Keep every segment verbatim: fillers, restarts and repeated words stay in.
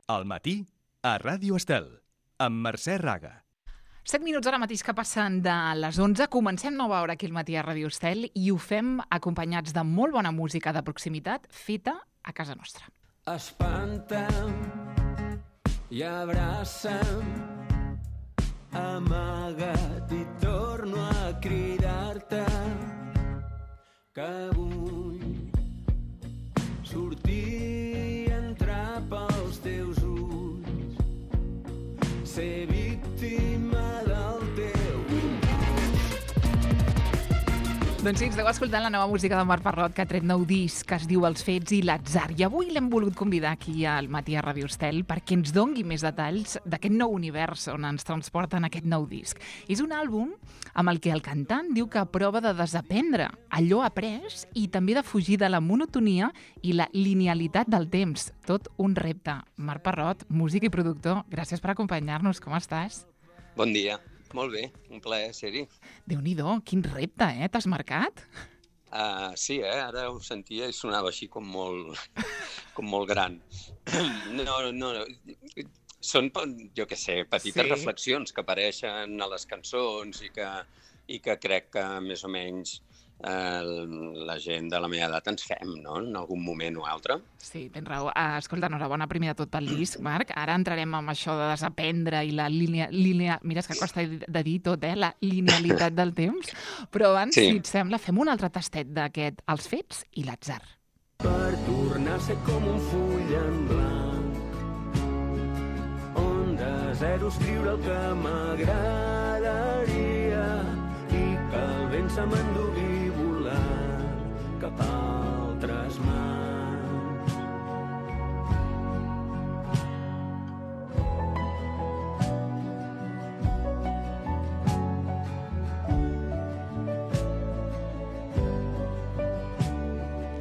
Al matí, a Ràdio Estel, amb Mercè Raga. Set minuts ara mateix que passen de les onze. Comencem nova hora aquí al matí a Ràdio Estel i ho fem acompanyats de molt bona música de proximitat feta a casa nostra. Espanta'm i abraça'm, amaga't i torno a cridar-te que vull sortir i entrar pels teus ulls, ser víctima del teu impuls. Doncs sí, esteu escoltant la nova música de Marc Parrot, que ha tret nou disc, que es diu Els Fets i l'Atzar. I avui l'hem volgut convidar aquí al matí a Ràdio Estel perquè ens dongui més detalls d'aquest nou univers on ens transporta en aquest nou disc. És un àlbum amb el que el cantant diu que prova de desaprendre allò après i també de fugir de la monotonia i la linealitat del temps. Tot un repte. Marc Parrot, músic i productor, gràcies per acompanyar-nos. Com estàs? Bon dia. Molt bé, un plaer ser-hi. Déu-n'hi-do, quin repte, eh? T'has marcat? Uh, sí, eh? Ara ho sentia i sonava així com molt, com molt gran. No, no, no. Són, jo què sé, petites Sí. reflexions que apareixen a les cançons i que, i que crec que més o menys eh, la gent de la meva edat ens fem, no?, en algun moment o altre. Sí, tens raó. Uh, escolta, enhorabona primer de tot pel disc, Marc. Ara entrarem amb això de desaprendre i la línia... línia... Mira, és que costa de dir tot, eh? La linealitat del temps. Però abans, Sí. si et sembla, fem un altre tastet d'aquest Els Fets i l'Atzar. Per tornar a ser com un full en blanc, on de zero escriure el que m'agradaria i que el vent se m'endugui volant cap a altres mans.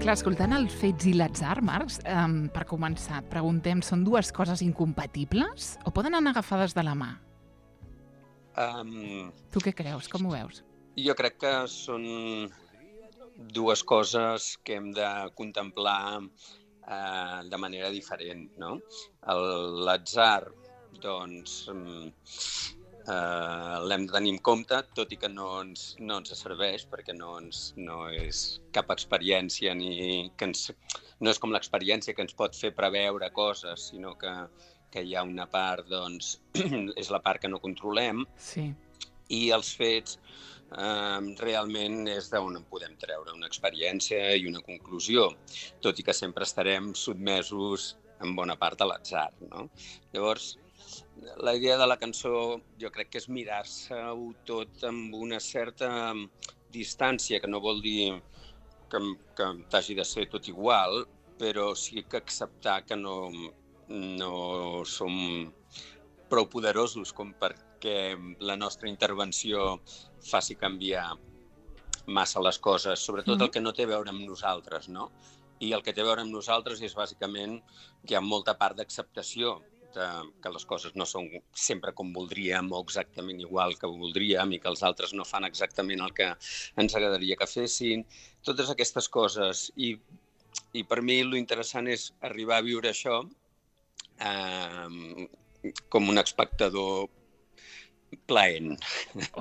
Clar, escoltant Els Fets i l'Atzar, Marc, um, per començar, et preguntem, són dues coses incompatibles o poden anar agafades de la mà? Um, Tu què creus? Com ho veus? jo crec que són dues coses que hem de contemplar eh, de manera diferent, no? El- L'atzar, doncs, mm, eh, l'hem de tenir en compte, tot i que no ens, no ens serveix, perquè no, ens, no és cap experiència, ni que ens, no és com l'experiència que ens pot fer preveure coses, sinó que, que hi ha una part, doncs, és la part que no controlem, Sí. i els fets eh, realment és d'on en podem treure una experiència i una conclusió, tot i que sempre estarem sotmesos en bona part a l'atzar, no? Llavors, la idea de la cançó jo crec que és mirar-se-ho tot amb una certa distància, que no vol dir que, que t'hagi de ser tot igual, però sí que acceptar que no, no som prou poderosos com perquè la nostra intervenció faci canviar massa les coses, sobretot el que no té a veure amb nosaltres, no? I el que té a veure amb nosaltres és bàsicament que hi ha molta part d'acceptació, de, que les coses no són sempre com voldríem o exactament igual que voldríem i que els altres no fan exactament el que ens agradaria que fessin. Totes aquestes coses. I, i per mi l'interessant és arribar a viure això eh, com un espectador plaent.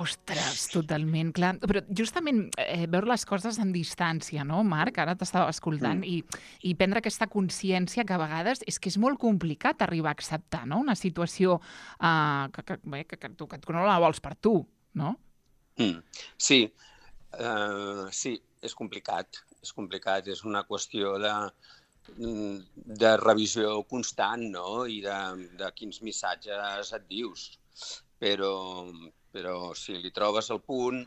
Ostres, totalment, clar. Però justament eh, veure les coses en distància, no, Marc? Ara t'estava escoltant mm. i, i prendre aquesta consciència que a vegades és que és molt complicat arribar a acceptar, no?, una situació eh, que, que, bé, que, que, tu, que tu no la vols per tu, no? Mm. Sí, uh, sí, és complicat. És complicat, és una qüestió de, de revisió constant, no?, i de, de quins missatges et dius. Però, però si li trobes el punt,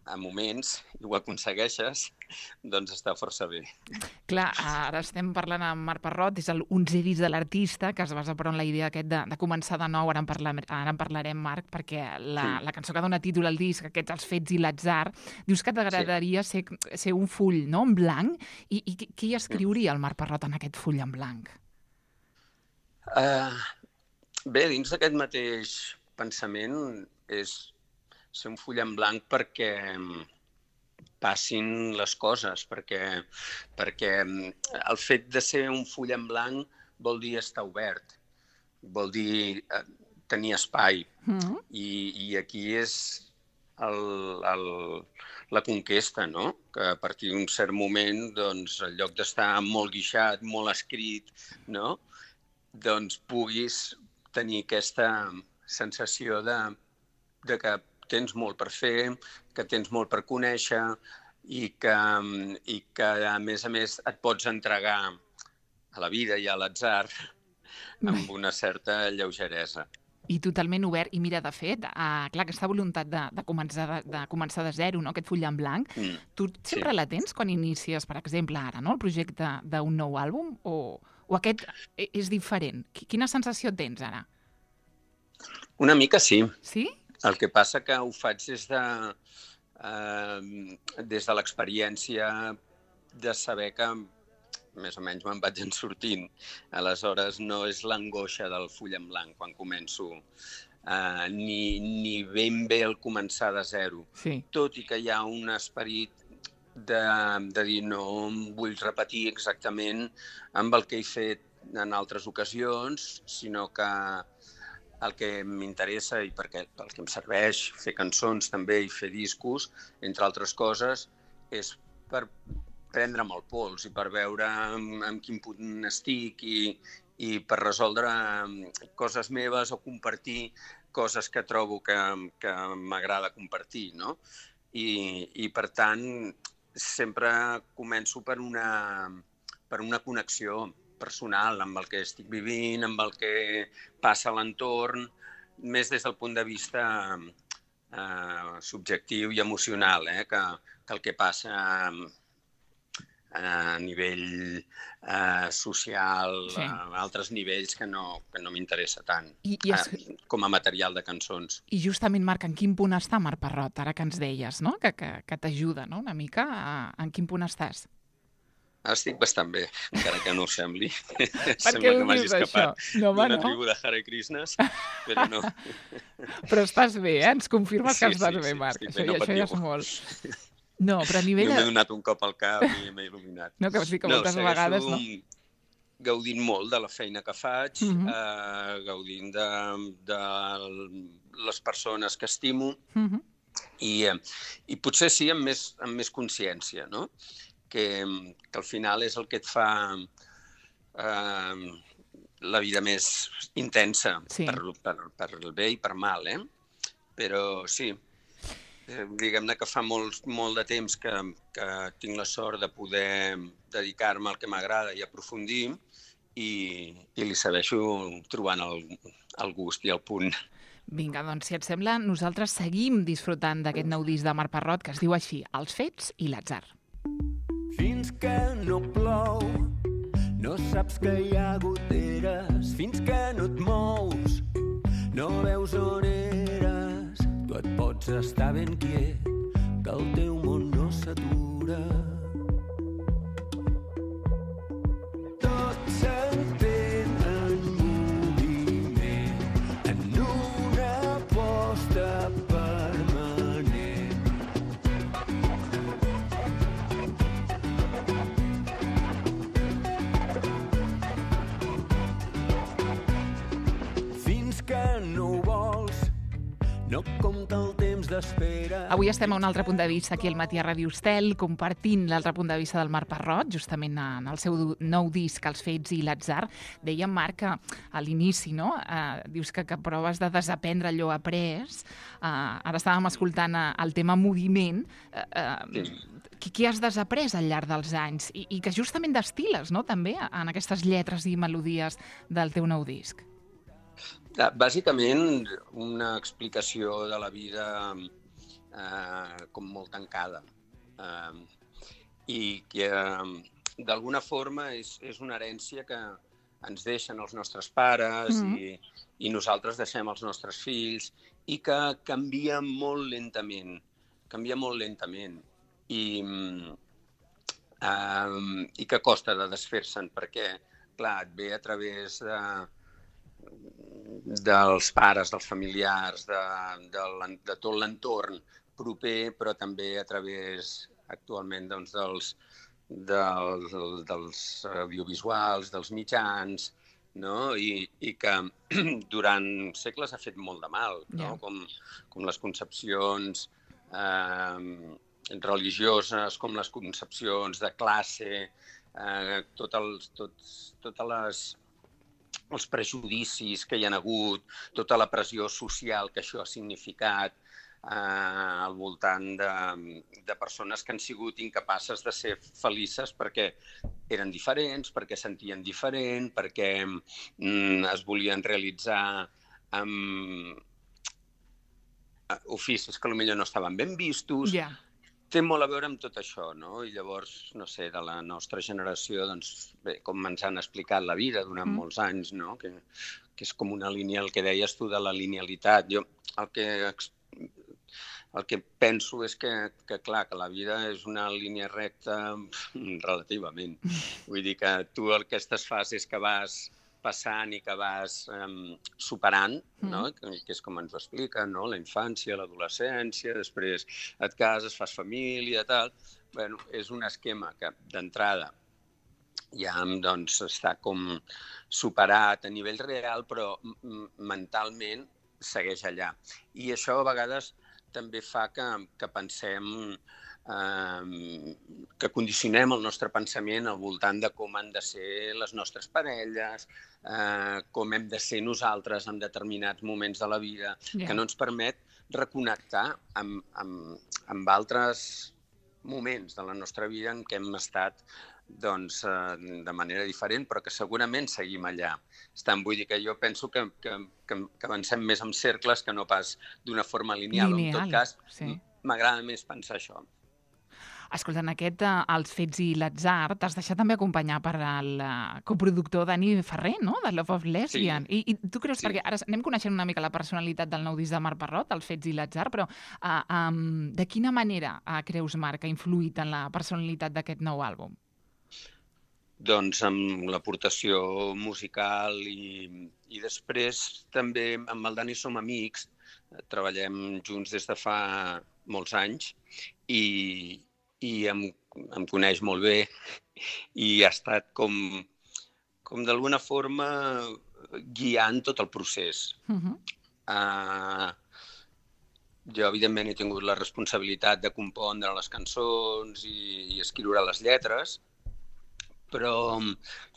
a moments, i ho aconsegueixes, doncs està força bé. Clar, ara estem parlant amb Marc Parrot, és el onzè disc de l'artista, que es basa però en la idea aquest de, de començar de nou, ara en, parla, ara en parlarem, Marc, perquè la, sí. la cançó que dona títol al disc, aquests Els Fets i l'Atzar, dius que t'agradaria sí. ser, ser un full, no?, en blanc, i, i què hi escriuria el Marc Parrot en aquest full en blanc? Uh, bé, dins d'aquest mateix pensament és ser un full en blanc perquè passin les coses, perquè, perquè el fet de ser un full en blanc vol dir estar obert. vol dir eh, tenir espai. Mm. I, i aquí és el, el, la conquesta, no? Que a partir d'un cert moment, doncs, en lloc d'estar molt guixat, molt escrit, no? Doncs puguis tenir aquesta sensació de, de que tens molt per fer, que tens molt per conèixer i que, i que, a més a més, et pots entregar a la vida i a l'atzar amb una certa lleugeresa. I totalment obert. I mira, de fet, uh, clar, aquesta voluntat de, de, començar de, de començar de zero, no? Aquest full en blanc, mm, tu sempre sí. la tens quan inicies, per exemple, ara, no? El projecte d'un nou àlbum? O, o aquest és diferent? Quina sensació tens ara? Una mica sí. Sí? El que passa que ho faig des de, eh, des de l'experiència de saber que més o menys me'n vaig en sortint. Aleshores, no és l'angoixa del full en blanc quan començo, eh, ni, ni ben bé el començar de zero. Sí. Tot i que hi ha un esperit de, de dir no em vull repetir exactament amb el que he fet en altres ocasions, sinó que el que m'interessa i perquè el que em serveix fer cançons també i fer discos, entre altres coses, és per prendre'm el pols i per veure en, en quin punt estic i, i per resoldre coses meves o compartir coses que trobo que, que m'agrada compartir, no? I, i per tant, sempre començo per una, per una connexió personal amb el que estic vivint, amb el que passa a l'entorn, més des del punt de vista eh, subjectiu i emocional, eh? que, que el que passa a nivell eh, social, sí. a altres nivells que no, que no m'interessa tant, I, i es... eh, com a material de cançons. I justament, Marc, en quin punt està Marc Parrot, ara que ens deies, no? que, que, que t'ajuda, no? una mica? A, en quin punt estàs? Estic bastant bé, encara que no ho sembli. Per Sembla què que m'hagi escapat no, d'una no? tribu de Hare Krishnas, però no. Però estàs bé, eh? Ens confirmes sí, que estàs sí, bé, sí, Marc. Bé, això, no això ja és molt. No, però a nivell... Jo m'he donat un cop al cap i m'he il·luminat. No, que sí que moltes no, vegades, no? Gaudint molt de la feina que faig, uh -huh. eh, gaudint de, de les persones que estimo, uh -huh. i, eh, i potser sí amb més, amb més consciència, no? Que, que al final és el que et fa eh, la vida més intensa, sí. per, per, per el bé i per mal, eh? Però sí, eh, diguem-ne que fa molt, molt de temps que, que tinc la sort de poder dedicar-me al que m'agrada i aprofundir, i, i li segueixo trobant el, el gust i el punt. Vinga, doncs, si et sembla, nosaltres seguim disfrutant d'aquest nou disc de Marc Parrot que es diu així, Els fets i l'atzar. Fins que no plou, no saps que hi ha goteres. Fins que no et mous, no veus on eres. Tu et pots estar ben quiet, que el teu món no s'atura. Tot s'entén en moviment, en una aposta permanent. Fins que no ho vols, no compta el temps d'espera. Avui estem a un altre punt de vista aquí al Matí a Ràdio Estel, compartint l'altre punt de vista del Marc Parrot, justament en el seu nou disc, Els fets i l'atzar. Dèiem, Marc, que a l'inici, no? Eh, dius que, que proves de desaprendre allò après. Eh, ara estàvem escoltant el tema moviment. Eh, eh, sí. Què has desaprès al llarg dels anys? I, i que justament destil·les, no?, també, en aquestes lletres i melodies del teu nou disc. Bàsicament, una explicació de la vida eh, com molt tancada. Eh, I que, eh, d'alguna forma, és, és una herència que ens deixen els nostres pares mm-hmm. i, i nosaltres deixem als nostres fills, i que canvia molt lentament. Canvia molt lentament. I, eh, i que costa de desfer-se'n, perquè, clar, et ve a través de... dels pares, dels familiars, de, de, de tot l'entorn proper, però també a través actualment doncs, dels, dels, dels audiovisuals, dels mitjans, no? I, i que durant segles ha fet molt de mal, no? Yeah. Com, com les concepcions eh, religioses, com les concepcions de classe, eh, tot els, tots, totes les, els prejudicis que hi ha hagut, tota la pressió social que això ha significat, eh, al voltant de, de persones que han sigut incapaces de ser felices perquè eren diferents, perquè sentien diferent, perquè mm, es volien realitzar amb oficis que potser no estaven ben vistos. Yeah. Té molt a veure amb tot això, no? I llavors, no sé, de la nostra generació, doncs, bé, com ens han explicat la vida durant mm. molts anys, no? Que, que és com una línia, el que deies tu de la linealitat. Jo el que, el que penso és que, que, clar, que la vida és una línia recta relativament. Vull dir que tu aquestes fases que vas passant i que vas um, superant, no? Mm. Que, que és com ens ho expliquen, no? La infància, l'adolescència, després et cases, fas família, tal. Bueno, és un esquema que, d'entrada, ja doncs, està com superat a nivell real, però mentalment segueix allà. I això a vegades també fa que, que pensem, eh, que condicionem el nostre pensament al voltant de com han de ser les nostres parelles, eh, com hem de ser nosaltres en determinats moments de la vida, yeah. que no ens permet reconnectar amb, amb, amb altres moments de la nostra vida en què hem estat doncs, eh, de manera diferent, però que segurament seguim allà. Estan, vull dir que jo penso que, que, que, que avancem més en cercles que no pas d'una forma lineal. Lineal, en tot cas, sí. M'agrada més pensar això. Escolta, en aquest, uh, Els fets i l'atzar, t'has deixat també acompanyar per el uh, coproductor Dani Ferrer, no?, de Love of Lesbian. Sí. I, I tu creus, sí. perquè ara anem coneixent una mica la personalitat del nou disc de Marc Parrot, Els fets i l'atzar, però uh, um, de quina manera uh, creus, Marc, ha influït en la personalitat d'aquest nou àlbum? Doncs amb l'aportació musical i, i després també amb el Dani som amics, treballem junts des de fa molts anys i, i em, em coneix molt bé i ha estat com, com d'alguna forma guiant tot el procés. Uh-huh. Uh, jo, evidentment, he tingut la responsabilitat de compondre les cançons i, i escriure les lletres, però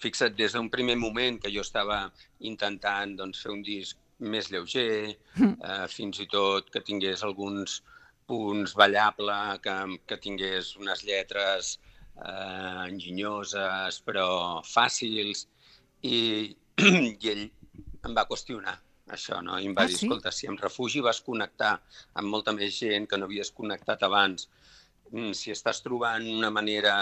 fixa't, des d'un primer moment que jo estava intentant doncs, fer un disc més lleuger, eh, fins i tot que tingués alguns punts ballables, que, que tingués unes lletres eh, enginyoses, però fàcils, i, i ell em va qüestionar això, no? I em va ah, dir, sí? Escolta, si em refugi vas connectar amb molta més gent que no havies connectat abans, si estàs trobant una manera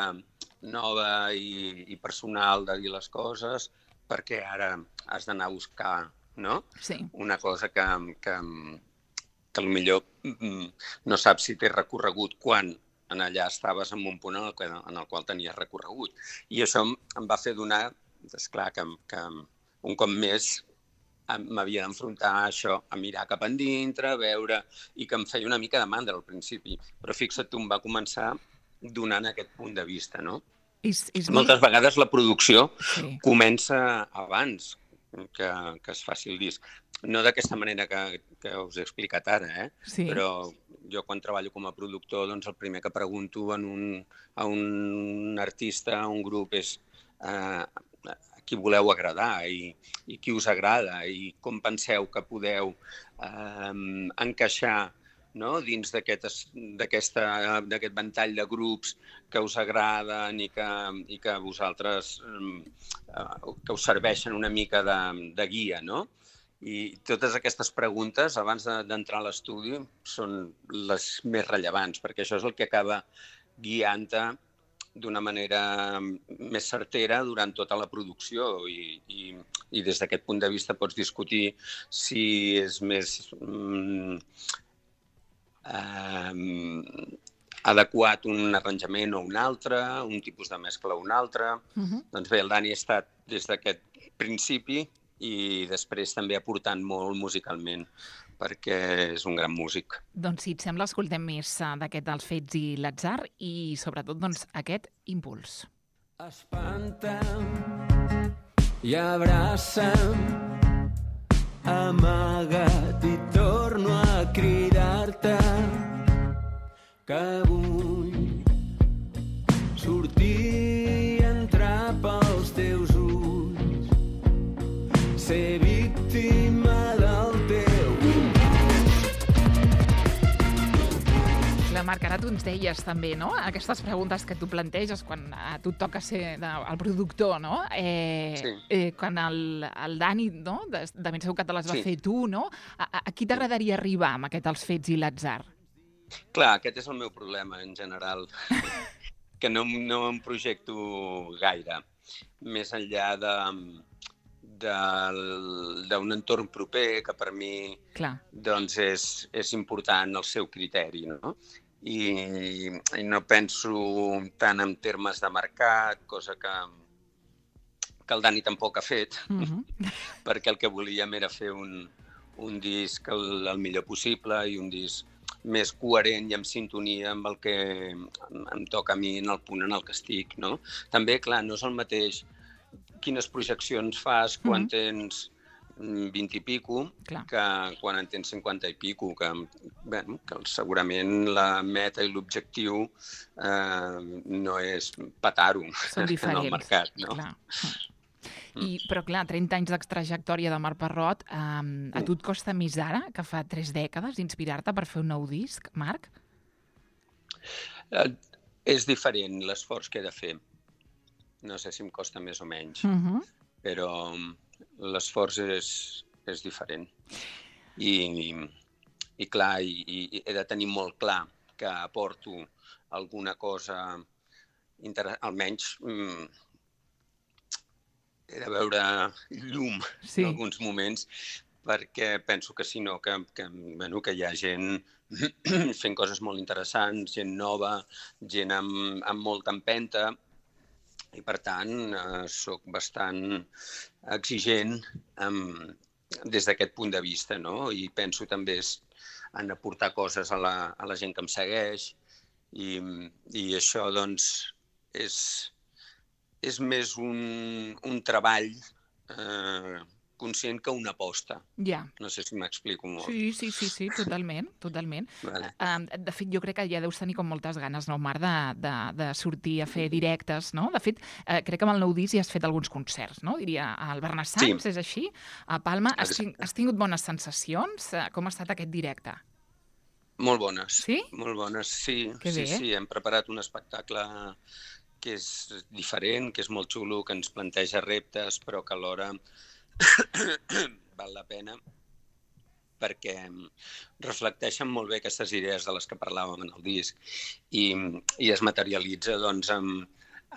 nova i, i personal de dir les coses, perquè ara has d'anar a buscar, no? Sí. Una cosa que, que, que potser no saps si té recorregut quan en allà estaves en un punt en el, en el qual tenies recorregut. I això em va fer donar, esclar, que, que un cop més m'havia d'enfrontar a això, a mirar cap endintre, a veure, i que em feia una mica de mandra al principi. Però fixa't, tu em va començar donant aquest punt de vista, no? És, és Moltes molt... vegades la producció sí. comença abans que, que es faci el disc. No d'aquesta manera que, que us he explicat ara, eh? Sí. Però jo quan treballo com a productor, doncs el primer que pregunto en un, a un artista, a un grup, és eh, a qui voleu agradar i, i qui us agrada i com penseu que podeu eh, encaixar, no? Dins d'aquest ventall de grups que us agraden i que, i que vosaltres eh, que us serveixen una mica de, de guia, no? I totes aquestes preguntes, abans d'entrar a l'estudi, són les més rellevants, perquè això és el que acaba guiant-te d'una manera més certera durant tota la producció i, i, i des d'aquest punt de vista pots discutir si és més mm, eh, adequat un arranjament o un altre, un tipus de mescla o un altre. Uh-huh. Doncs bé, el Dani ha estat des d'aquest principi i després també aportant molt musicalment, perquè és un gran músic. Doncs si et sembla, escoltem més d'aquest dels fets i l'atzar i sobretot doncs, aquest impuls. Espanta'm i abraça'm, amaga't i torno a cridar-te que vull sortir i entrar pels teus ulls, ser víctima del teu impuls. Clar, Marc, ara tu ens deies també, no?, aquestes preguntes que tu planteges quan a tu et toca ser de, el productor, no? Eh, Sí. eh, quan el, el Dani, no?, de, de ben segur que te les va Sí. fer tu, no? A, a, a qui t'agradaria arribar amb aquest Els fets i l'atzar? Clar, aquest és el meu problema, en general, que no, no em projecto gaire, més enllà de del- d'un entorn proper que per mi Clar. doncs és, és important el seu criteri, no? I, i no penso tant en termes de mercat, cosa que, que el Dani tampoc ha fet, Mhm. perquè el que volíem era fer un, un disc el, el millor possible i un disc més coherent i en sintonia amb el que em, em toca a mi en el punt en el que estic, no? També, clar, no és el mateix quines projeccions fas quan Mhm. tens mm, vint i pico Clar. que quan en tens cinquanta i pico, que, bueno, que segurament la meta i l'objectiu eh, no és petar-ho Són en diferents. el mercat, no? Clar. I, però clar, trenta anys d'extrajectòria de Marc Parrot, um, a tu et costa més ara, que fa tres dècades, inspirar-te per fer un nou disc, Marc? Eh, és diferent l'esforç que he de fer. No sé si em costa més o menys, Mhm. però l'esforç és, és diferent. I, i clar, i, i he de tenir molt clar que aporto alguna cosa, inter... almenys mm, he de veure llum Sí. en alguns moments, perquè penso que si no, que, que, bueno, que hi ha gent fent coses molt interessants, gent nova, gent amb, amb molta empenta, i per tant eh, soc bastant exigent amb, des d'aquest punt de vista, no? I penso també és, en aportar coses a la, a la gent que em segueix, i, i això doncs és, és més un, un treball eh, conscient que una aposta. Ja. No sé si m'explico molt. Sí, sí, sí, sí, totalment, totalment. Vale. Um, de fet, jo crec que ja deus tenir com moltes ganes, no, Marc, de, de, de sortir a fer directes, no? De fet, eh, crec que amb el nou disc ja has fet alguns concerts, no? Diria, al Bernassans, Sí. és així? A Palma. Has, Exacte. tin has tingut bones sensacions? Eh, Com ha estat aquest directe? Molt bones. Sí? Molt bones, sí. Que sí, bé. sí, hem preparat un espectacle que és diferent, que és molt xulo, que ens planteja reptes, però que alhora val la pena perquè reflecteixen molt bé aquestes idees de les que parlàvem en el disc i, i es materialitza doncs, amb,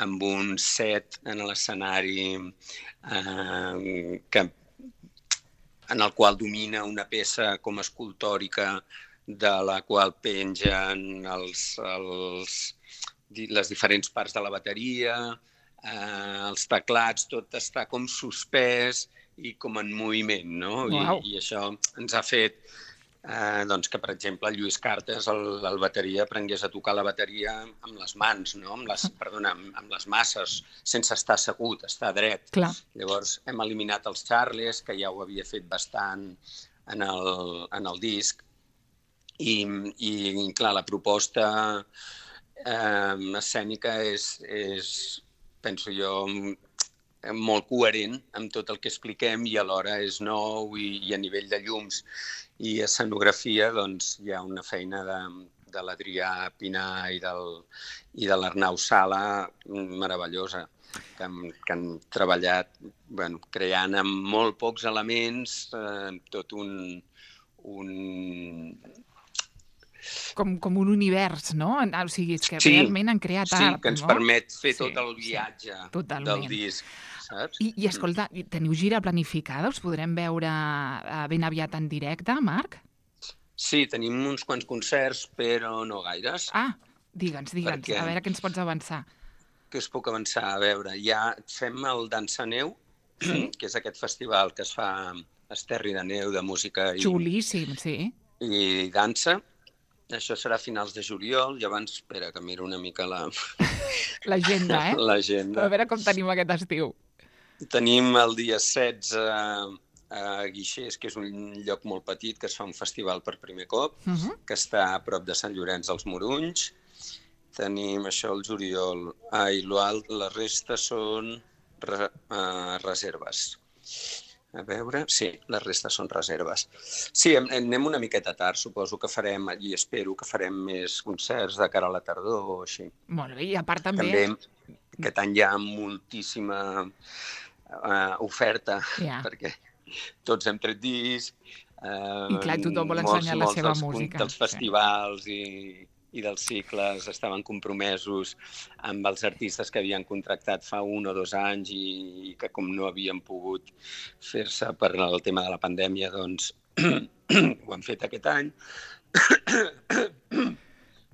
amb un set en l'escenari eh, que, en el qual domina una peça com escultòrica de la qual pengen els, els, les diferents parts de la bateria, eh, els teclats, tot està com suspès i com en moviment, no? Uau. I, I això ens ha fet eh, doncs que, per exemple, Lluís Cartes, el, el bateria, aprengués a tocar la bateria amb les mans, no? Amb les, perdona, amb, amb les masses, sense estar assegut, estar dret. Clar. Llavors hem eliminat els charles, que ja ho havia fet bastant en el, en el disc, i, i clar, la proposta eh, escènica és, és, penso jo, molt coherent amb tot el que expliquem i alhora és nou i, i a nivell de llums i escenografia doncs hi ha una feina de, de l'Adrià Pinar i, del, i de l'Arnau Sala meravellosa que han, que han treballat bueno, creant amb molt pocs elements eh, tot un, un... Com, com un univers, no? O sigui, és que Sí, realment han creat sí, art, que ens no? permet fer Sí, tot el sí, viatge totalment. del disc, saps? I, I escolta, teniu gira planificada? Us podrem veure eh, ben aviat en directe, Marc? Sí, tenim uns quants concerts, però no gaires. Ah, digue'ns, digue'ns, Perquè- a veure què ens pots avançar. Que us puc avançar a veure. Ja fem el Dansa Neu, que és aquest festival que es fa a Esterri de Neu de música i, Xulíssim, sí. i dansa. Això serà a finals de juliol, i abans, espera, que miro una mica la- L'agenda, eh? A l'agenda. veure com tenim aquest estiu. tenim el dia setze a Guixers, que és un lloc molt petit, que es fa un festival per primer cop, uh -huh. que està a prop de Sant Llorenç dels Morunys. Tenim això el juliol. Ah, i l'alt, la resta són re, uh, reserves. A veure, sí, la resta són reserves. Sí, anem una miqueta tard, suposo que farem, i espero que farem més concerts de cara a la tardor o així. Molt bé, i a part també... També aquest any hi ha moltíssima uh, oferta, yeah. perquè tots hem tret disc, uh, i clar, tothom vol ensenyar molts, la seva molts música. dels festivals sí. i, i dels cicles estaven compromesos amb els artistes que havien contractat fa un o dos anys i, i que com no havien pogut fer-se per el tema de la pandèmia, doncs ho han fet aquest any.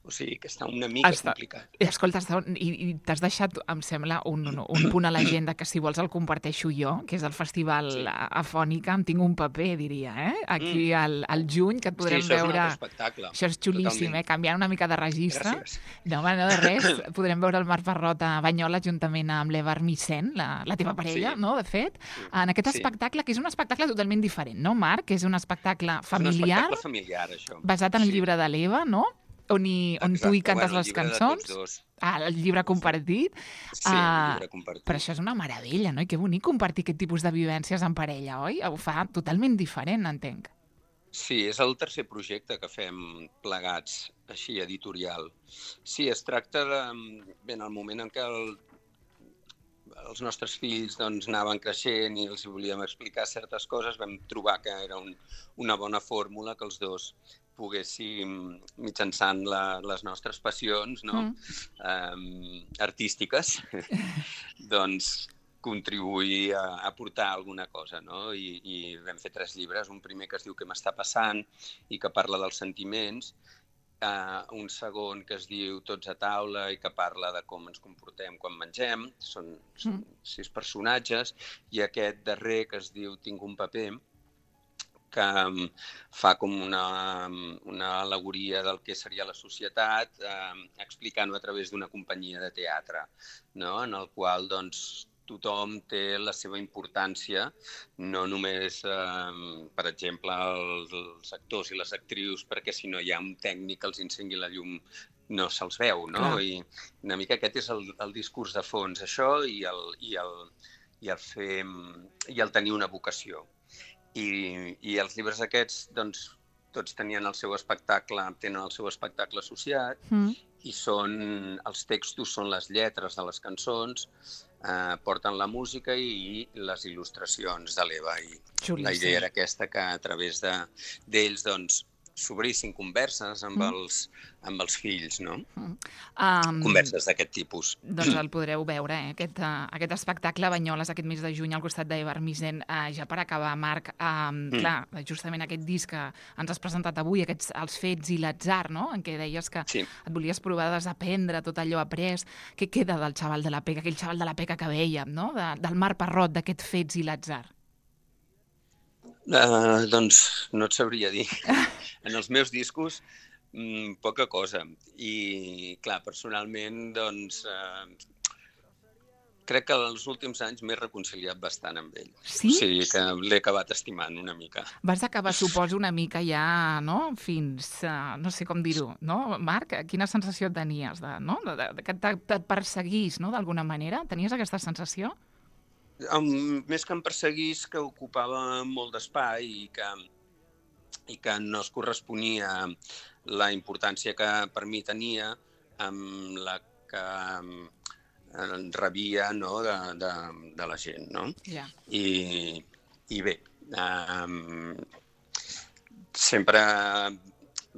O sigui, que està una mica està, complicat. Escolta, està, i, i t'has deixat, em sembla, un, un, un punt a l'agenda que si vols el comparteixo jo, que és el Festival sí. Afònica, em tinc un paper, diria, eh? Aquí mm. al, al juny, que et podrem sí, això veure... És un altre espectacle. Això és xulíssim, totalment. eh? Canviant una mica de registre. Gràcies. No, home, no de res. Podrem veure el Marc Parrot a Banyoles juntament amb l'Eva Armisen, la, la teva parella, sí. no?, de fet, sí. en aquest sí. espectacle, que és un espectacle totalment diferent, no, Marc? És un espectacle familiar, és un espectacle familiar, això. Basat en sí. el llibre de l'Eva, no?, on, hi, on tu hi cantes bueno, les cançons. Ah, el llibre compartit. Sí, el llibre compartit. Però això és una meravella, no? I que bonic compartir aquest tipus de vivències en parella, oi? Ho fa totalment diferent, entenc. Sí, és el tercer projecte que fem plegats, així, editorial. Sí, es tracta de... Bé, en el moment en què el, els nostres fills doncs, anaven creixent i els volíem explicar certes coses, vam trobar que era un, una bona fórmula que els dos poguéssim, mitjançant la, les nostres passions no? mm. um, artístiques, doncs contribuir a, a portar alguna cosa. No? I, I vam fer tres llibres, un primer que es diu Què m'està passant i que parla dels sentiments, uh, un segon que es diu Tots a taula i que parla de com ens comportem quan mengem, són, són mm. sis personatges, i aquest darrer que es diu Tinc un paper, que fa com una, una al·legoria del que seria la societat, eh, explicant-ho a través d'una companyia de teatre, no? En el qual doncs, tothom té la seva importància, no només, eh, per exemple, els, els actors i les actrius, perquè si no hi ha un tècnic que els encengui la llum no se'ls veu, no? Clar. I una mica aquest és el, el discurs de fons, això, i el, i el, i el, fer, i el tenir una vocació. I, i els llibres aquests, doncs, tots tenien el seu espectacle, tenen el seu espectacle associat, mm. i són, els textos són les lletres de les cançons, eh, porten la música i, i les il·lustracions de l'Eva. I Xulíssim. La idea era aquesta, que a través de, d'ells, doncs, s'obrissin converses amb, mm. els, amb els fills, no? Mm. Um, converses d'aquest tipus. Doncs el podreu veure, eh? aquest, uh, aquest espectacle a Banyoles aquest mes de juny al costat d'Eva Armisen. Uh, ja per acabar, Marc, um, mm. clar, justament aquest disc que ens has presentat avui, aquests, Els fets i l'atzar, no? En què deies que sí. et volies provar de desaprendre tot allò après. Què queda del xaval de la Peca, aquell xaval de la Peca que vèiem, no? De, del Marc Parrot, d'aquest Fets i l'atzar? Uh, doncs no et sabria dir. En els meus discos, mmm, poca cosa. I, clar, personalment, doncs, uh, crec que els últims anys m'he reconciliat bastant amb ell. Sí? O sigui que l'he acabat estimant una mica. Vas acabar, suposo, una mica ja, no?, fins, uh, no sé com dir-ho, no, Marc? Quina sensació tenies, de, no?, de, de, que et perseguís, no?, d'alguna manera? Tenies aquesta sensació? Um, més que em perseguís, que ocupava molt d'espai i que, i que no es corresponia la importància que per mi tenia amb la que um, rebia, no?, de, de, de la gent, no? Yeah. I, i bé, um, sempre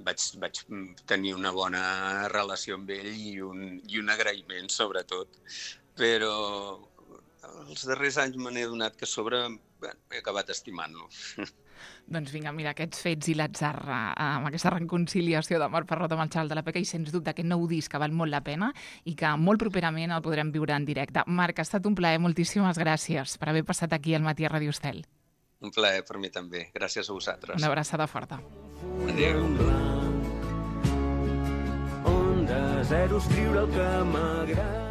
vaig, vaig tenir una bona relació amb ell i un, i un agraïment, sobretot, però els darrers anys me n'he adonat que a sobre bé, he acabat estimant-lo. Doncs vinga, mira, aquests Fets i l'atzar, amb aquesta reconciliació de Marc Parrot amb el xaval de la Peca i sens dubte aquest nou disc que val molt la pena i que molt properament el podrem viure en directe. Marc, ha estat un plaer, moltíssimes gràcies per haver passat aquí al Matí a Ràdio Estel. Un plaer per mi també, gràcies a vosaltres. Una abraçada forta. Adéu. On de zero escriure el que m'agrada.